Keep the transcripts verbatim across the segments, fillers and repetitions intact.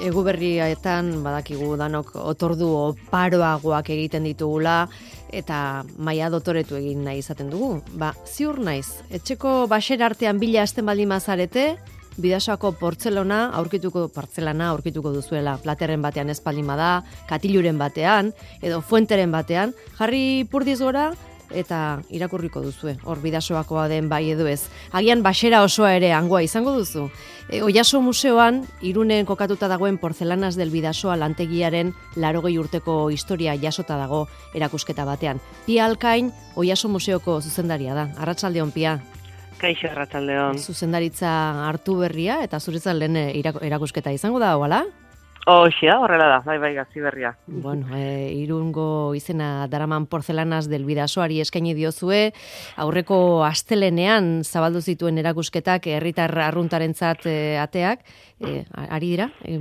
Eguberrietan badakigu danok otordu oparoagoak egiten ditugula eta maila dotoretu egin nahi izaten dugu. Ba, ziur naiz, etxeko baxera artean bila hasten baldin bazarete, Bidasoako portzelana aurkituko portzelana aurkituko duzuela. Platerren batean ez baldin bada, katiluren batean edo fuenteren batean, jarri purdiz gora eta irakurriko duzue. Hor Bidasoakoa den bai edo ez. Agian baxera osoa ere hangoa izango duzu. E, Oiaso museoan Irunen kokatuta dagoen Porcelanas del Bidasoa lantegiaren laurogei urteko historia jasota dago erakusketa batean. Pia Alkain Oiaso museoko zuzendaria da. Arratsaldeon, Pia. Kaixo, arratsaldeon. Zuzendaritza hartu berria eta zuretzat lehen erakusketa izango da, hola? Hoxia, horrela da, bai, bai, gazi berria. Bueno, e, Irungo izena daraman Porcelanas del Bidasoari eskaini diozue, aurreko astelenean zabaldu zituen erakusketak herritar arruntarentzat e, ateak, e, ari dira, e,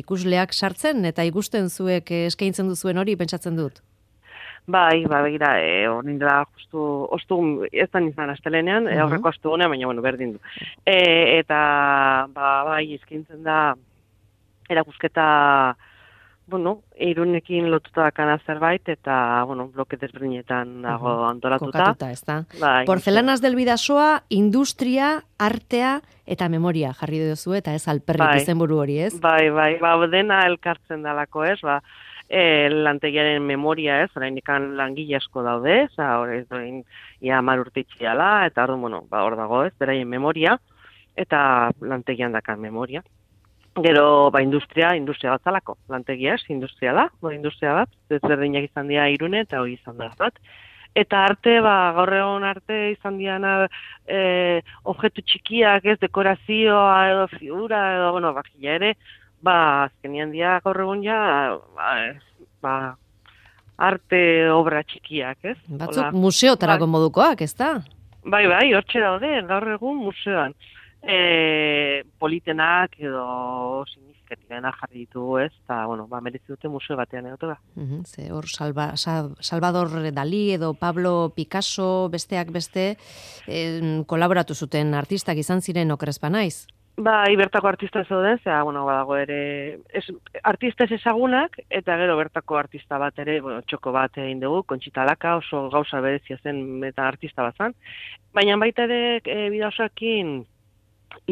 ikusleak sartzen eta ikusten zuek eskaintzen duzuen hori pentsatzen dut. Bai, bai, begira, e, hori da justu, ostu, ez da nizan astelenean, uh -huh. aurreko astu gunean, baina, bueno, berdin du. E, eta, ba, bai, eskaintzen da, erakusketa, bueno, Irunekin lotuta dakana zerbait, eta, bueno, bloke desberdinetan dago uh -huh. antolatuta. Kokatuta, ez da. Bai, Porcelanas del Bidasoa, industria, artea eta memoria jarri duzu, eta ez alperrik bai. izenburu hori, ez? Bai, bai, ba, dena elkartzen dalako, ez, ba, E, lantegiaren memoria, ez, orain ikan langile asko daude, ez, hori ez ia hamar urte itxiala, eta hor, bueno, ba, hor dago, ez, beraien memoria, eta lantegian dakan memoria. Gero, ba, industria, industria bat zalako, lantegia, ez, industriala, ba, industria bat, ez berdinak izan dira Irune, eta hori izan da bat. Eta arte, ba, gaur egon arte izan diana e, objektu txikiak, ez, dekorazioa edo figura, edo, bueno, bakila ere, ba, azkenian dia gaur egun ja, ba, ba, arte obra txikiak, ez? Batzuk Ola, museotarako bai. modukoak, ez da? Bai, bai, hortxe daude, gaur egun museoan. E, politenak edo significativena jarri ditugu, ez? Eta, bueno, ba, merezi dute museo batean egote da. Uh-huh, ze hor Salva, Salvador Dalí edo Pablo Picasso besteak beste eh, kolaboratu zuten artistak izan ziren okerespa naiz. Bai, bertako artista zeuden, zera, bueno, badago ere, es, artista ez ezagunak, eta gero bertako artista bat ere, bueno, txoko bat egin dugu, Conchita Laka, oso gauza berezia zen eta artista bat zen. Baina baita ere, e, Bidasoakin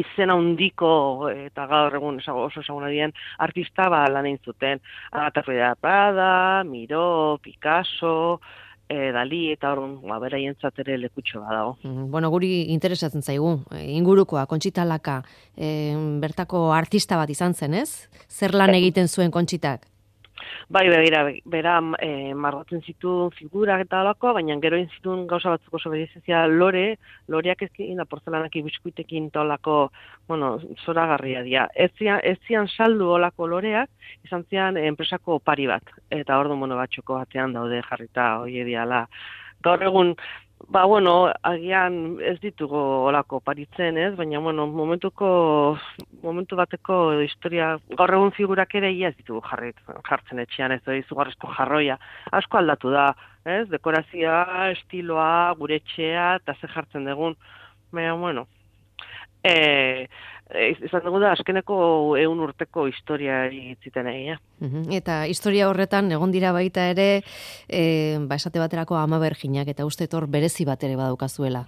izena handiko eta gaur egun oso ezaguna dien artista ba, lan egin zuten. Agatha Rueda Prada, Miró, Picasso, E, Dali eta hor, ba, beraientzat ere lekutxo badago. Mm, bueno, guri interesatzen zaigu, ingurukoa, Conchita Laka, e, bertako artista bat izan zen, ez? Zer lan egiten zuen Conchitak? Bai, begira, bera e, margotzen zituen figurak eta alako, baina gero egin zituen gauza batzuk oso berezia lore, loreak ezkin da porzelanak ibiskuitekin eta olako, bueno, zoragarria dira. Ez zian, ez zian saldu olako loreak, izan zian enpresako opari bat, eta ordu mono batxoko batean daude jarrita hori diala. Gaur egun, ba, bueno, agian ez ditugu olako paritzen, ez? Baina, bueno, momentuko, momentu bateko historia, gaur egun figurak ere ia ez ditugu jarri, jartzen etxean, ez da, izugarrizko jarroia. Asko aldatu da, ez? Dekorazioa, estiloa, gure etxea, eta ze jartzen dugun. Baina, bueno, e, izan dugu da, azkeneko ehun urteko historia itziten egia. Uh-huh. Eta historia horretan, egon dira baita ere, e, ba, esate baterako Ama Berginak, eta uste hor berezi bat ere badaukazuela.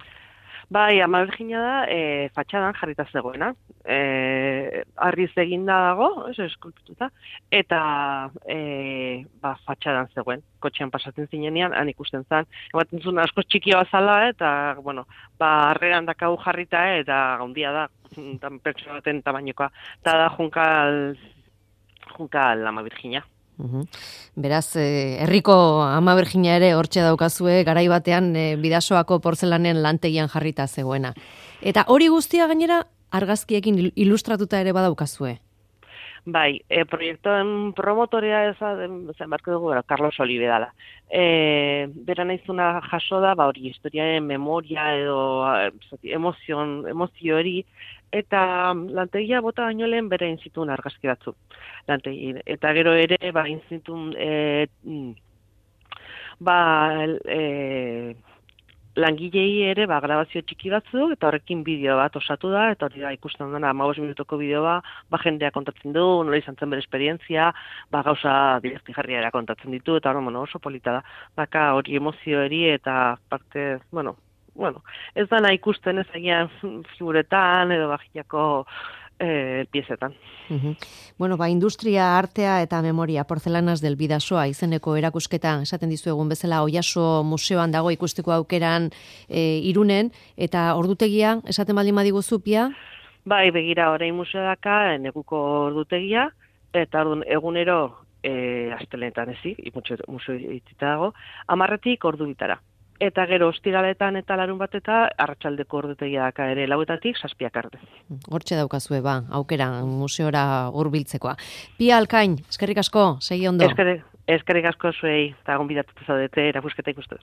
Bai, Ama Bergina da, e, fatxadan jarrita zegoena. E, arriz eginda dago, ez eskulpituta, eta e, ba, fatxadan zegoen. Kotxean pasatzen zinenean, han ikusten zen. Ematen zuen asko txikia bazala, eta, bueno, ba, arreran dakau jarrita, eta gaundia da, pertsona baten tamainokoa. Eta da, junkal, junkal Ama Bergina. Uhum. Beraz, eh, herriko Ama Bergina ere hortxe daukazue, garai batean eh, Bidasoako portzelanen lantegian jarrita zegoena. Eta hori guztia gainera argazkiekin ilustratuta ere badaukazue. Bai, e, proiektoen promotorea zen barko dugu, Carlos Olive dala. E, bera naizuna jaso da, ba hori, historiaren memoria edo emozion, emozio hori, eta lantegia bota baino lehen bere inzituen argazki batzu. Lantegi, eta gero ere, ba, inzituen, e, ba, e, langilei ere ba, grabazio txiki batzuk, eta horrekin bideo bat osatu da, eta hori da ikusten dena, hamabost minutoko bideoa, ba, jendea kontatzen du, nola izan zen bere esperientzia, ba, gauza divertigarriara kontatzen ditu, eta hori, bueno, oso polita da. Baka hori emozio eri, eta parte, bueno, bueno, ez dana ikusten ez agian figuretan, edo bajiako eh, piezetan. Uhum. Bueno, ba, industria, artea eta memoria, Porcelanas del Bidasoa izeneko erakusketa, esaten dizu egun bezala, Oiaso museoan dago ikusteko aukeran e, Irunen, eta ordutegia, esaten baldin badiguzu, Pia? Bai, begira, orain museo daka, neguko ordutegia, eta orduan egunero e, astelenetan ezi, museo itxita dago, amarretik ordu bitara. Eta gero ostiraletan eta larun bat eta arratsaldeko ordutegia daka ere lauetatik zazpiak arte. Hortxe daukazue, ba, aukera museora hurbiltzekoa. Pia Alkain, eskerrik asko, segi ondo. Eskerrik, eskerrik asko zuei, eta gonbidatuta zaudete erakusketa ikustu.